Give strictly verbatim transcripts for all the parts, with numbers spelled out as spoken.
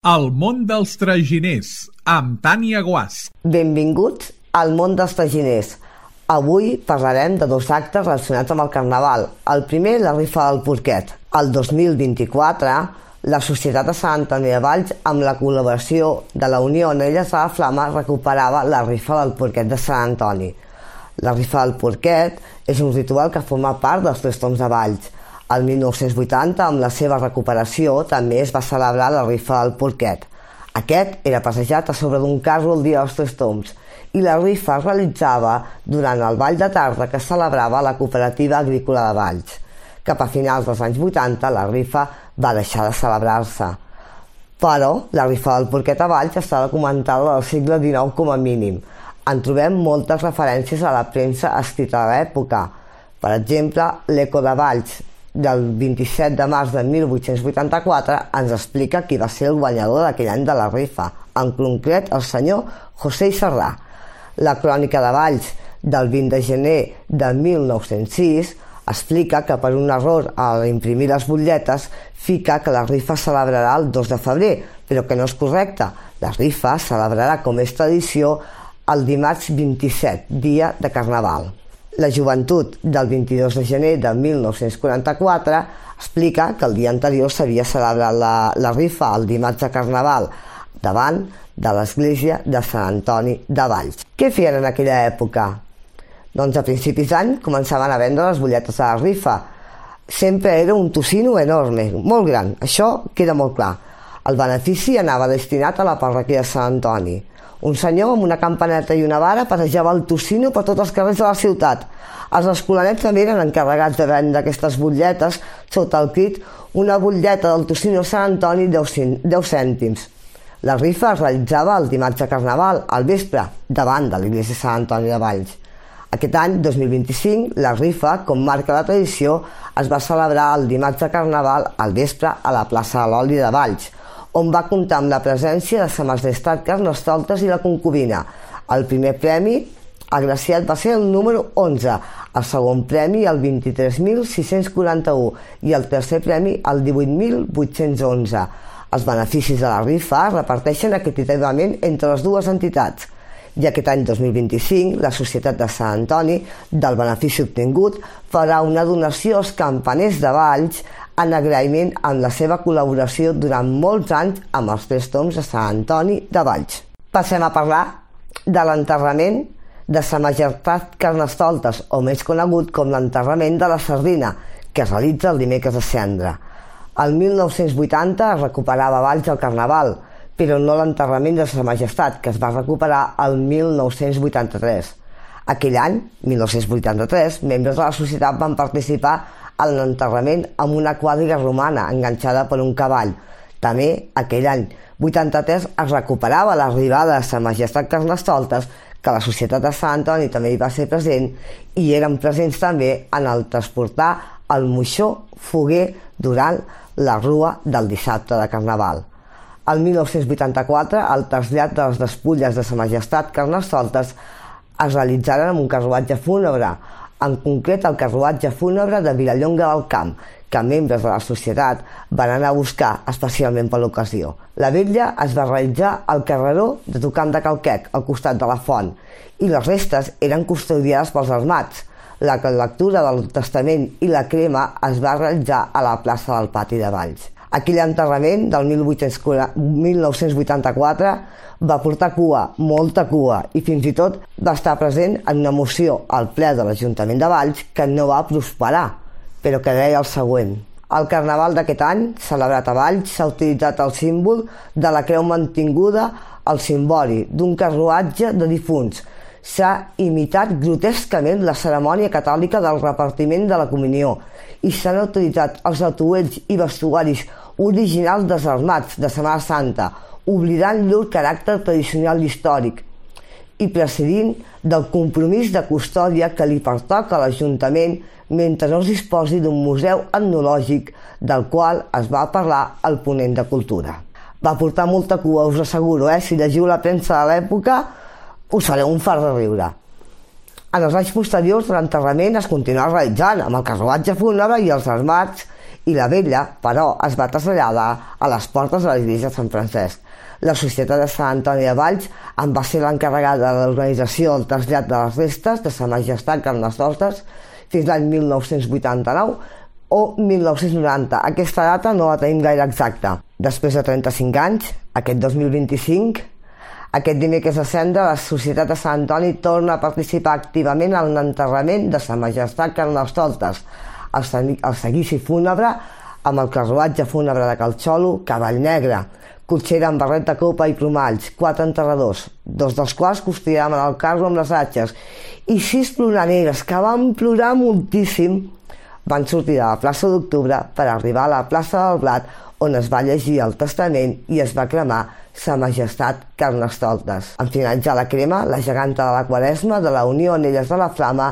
El món dels traginers, amb Tània Guasch. Benvinguts al món dels traginers. Avui parlarem de dos actes relacionats amb el Carnaval. El primer, la rifa del porquet. El dos mil vint-i-quatre, la Societat de Sant Antoni de Valls, amb la col·laboració de la Unió Anelles de la Flama, recuperava la rifa del porquet de Sant Antoni. La rifa del porquet és un ritual que forma part dels Tres Tombs de Valls. El mil nou-cents vuitanta, amb la seva recuperació, també es va celebrar la rifa del porquet. Aquest era passejat a sobre d'un carro el dia dels Tres Tombs i la rifa es realitzava durant el ball de tarda que celebrava la Cooperativa Agrícola de Valls. Cap a finals dels anys vuitanta, la rifa va deixar de celebrar-se. Però la rifa del porquet a Valls està documentada del segle dinou com a mínim. En trobem moltes referències a la premsa escrita de l'època. Per exemple, l'Eco de Valls, del vint-i-set de març de mil vuit-cents vuitanta-quatre, ens explica qui va ser el guanyador d'aquell any de la rifa, en concret el senyor José Serrà. La Crònica de Valls, del vint de gener de mil nou-cents sis, explica que per un error a imprimir les butlletes fica que la rifa es celebrarà el dos de febrer, però que no és correcte. La rifa es celebrarà, com és tradició, el dimarts vint-i-set, dia de Carnaval. La Joventut, del vint-i-dos de gener de mil nou-cents quaranta-quatre, explica que el dia anterior s'havia celebrat la, la rifa el dimarts de Carnaval davant de l'església de Sant Antoni de Valls. Què feien en aquella època? Doncs a principis d'any començaven a vendre les butlletes de la rifa. Sempre era un tocino enorme, molt gran, això queda molt clar. El benefici anava destinat a la parròquia de Sant Antoni. Un senyor amb una campaneta i una vara passejava el tocino per tots els carrers de la ciutat. Els escolanets també eren encarregats de vendre aquestes butlletes sota el crit «Una butlleta del tocino Sant Antoni, deu cèntims». La rifa es realitzava el dimarts de Carnaval, al vespre, davant de l'església de Sant Antoni de Valls. Aquest any, dos mil vint-i-cinc, la rifa, com marca la tradició, es va celebrar el dimarts de Carnaval al vespre a la plaça de l'Oli de Valls, on va comptar amb la presència de Sa Majestat Carnestoltes i la concubina. El primer premi agraciat va ser el número onze, el segon premi el vint-i-tres mil sis-cents quaranta-u i el tercer premi el divuit mil vuit-cents onze. Els beneficis de la rifa es reparteixen equitativament entre les dues entitats. I aquest any dos mil vint-i-cinc, la Societat de Sant Antoni, del benefici obtingut, farà una donació als campaners de Valls en agraïment amb la seva col·laboració durant molts anys amb els Tres Tombs de Sant Antoni de Valls. Passem a parlar de l'enterrament de Sa Majestat Carnestoltes, o més conegut com l'enterrament de la Sardina, que es realitza el dimecres de Cendra. El mil nou-cents vuitanta es recuperava a Valls el Carnaval, però no l'enterrament de Sa Majestat, que es va recuperar el mil nou-cents vuitanta-tres. Aquell any, mil nou-cents vuitanta-tres, membres de la societat van participar en l'enterrament amb una quadriga romana enganxada per un cavall. També, aquell any vuitanta-tres, es recuperava l'arribada de Sa Majestat Carnestoltes, que la Societat de Sant Antoni també hi va ser present, i eren presents també en el transportar el moixó foguer durant la rua del dissabte de Carnaval. El mil nou-cents vuitanta-quatre, el trasllat de les despulles de Sa Majestat Carnestoltes es realitzaren amb un carruatge fúnebre, en concret el carruatge fúnebre de Vilallonga del Camp, que membres de la societat van anar a buscar especialment per l'ocasió. La vetlla es va realitzar al carreró de Tocant de Calquec, al costat de la font, i les restes eren custodiades pels armats. La lectura del testament i la crema es va realitzar a la plaça del Pati de Valls. Aquell enterrament del mil nou-cents vuitanta-quatre va portar cua, molta cua, i fins i tot va estar present en una moció al ple de l'Ajuntament de Valls que no va prosperar, però que deia el següent. Al Carnaval d'aquest any, celebrat a Valls, s'ha utilitzat el símbol de la creu mantinguda al cimbori d'un carruatge de difunts. S'ha imitat grotescament la cerimònia catòlica del repartiment de la comunió i s'han utilitzat els atuells i vestuaris originals dels armats de Setmana Santa, oblidant llur caràcter tradicional i històric i precedint del compromís de custòdia que li pertoca a l'Ajuntament mentre no es disposi d'un museu etnològic del qual es va parlar al ponent de Cultura. Va portar molta cua, us asseguro, eh? Si llegiu la premsa de l'època us fareu un fart de riure. En els anys posteriors, l'enterrament es continuà realitzant amb el carruatge fúnebre i els armats i la vella, però, es va traslladar a les portes de l'església de Sant Francesc. La Societat de Sant Antoni de Valls en va ser l'encarregada de l'organització del trasllat de les restes de Sa Majestat Carnestoltes fins l'any mil nou-cents vuitanta-nou o mil nou-cents noranta. Aquesta data no la tenim gaire exacta. Després de trenta-cinc anys, aquest dos mil vint-i-cinc, aquest dimecres de cendra, la Societat de Sant Antoni torna a participar activament en l'enterrament de Sa Majestat Carnestoltes, el seguici fúnebre amb el carruatge fúnebre de Calxolo, cavall negre, cotxera amb barret de copa i plomalls, quatre enterradors, dos dels quals custodiaven el carro amb les atxes, i sis ploraneres que van plorar moltíssim van sortir de la plaça d'Octubre per arribar a la plaça del Blat, on es va llegir el testament i es va cremar Sa Majestat Carnestoltes. En finalitzar la crema, la geganta de la Quaresma de la Unió Anelles de la Flama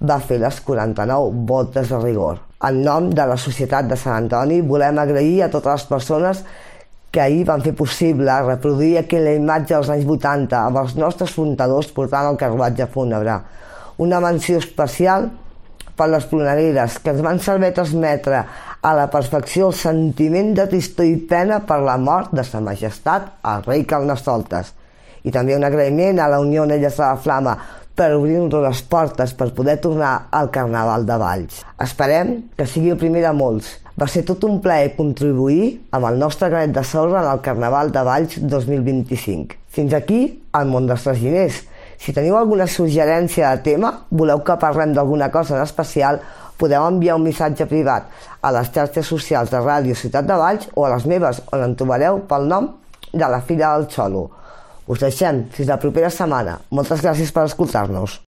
va fer les quaranta-nou voltes de rigor. En nom de la Societat de Sant Antoni volem agrair a totes les persones que ahir van fer possible reproduir aquella imatge dels anys vuitanta amb els nostres fundadors portant el carruatge fúnebre. Una menció especial per les ploraneres que ens van saber transmetre a la perfecció el sentiment de tristor i pena per la mort de Sa Majestat el rei Carnestoltes. I també un agraïment a la Unió Anelles de la Flama per obrir-nos les portes per poder tornar al Carnaval de Valls. Esperem que sigui el primer de molts. Va ser tot un plaer contribuir amb el nostre granet de sorra en el Carnaval de Valls dos mil vint-i-cinc. Fins aquí el món dels traginers. Si teniu alguna suggerència de tema, voleu que parlem d'alguna cosa en especial, podeu enviar un missatge privat a les xarxes socials de Ràdio Ciutat de Valls o a les meves, on em trobareu pel nom de la Filla del Xolo. Us deixem fins la propera setmana. Moltes gràcies per escoltar-nos.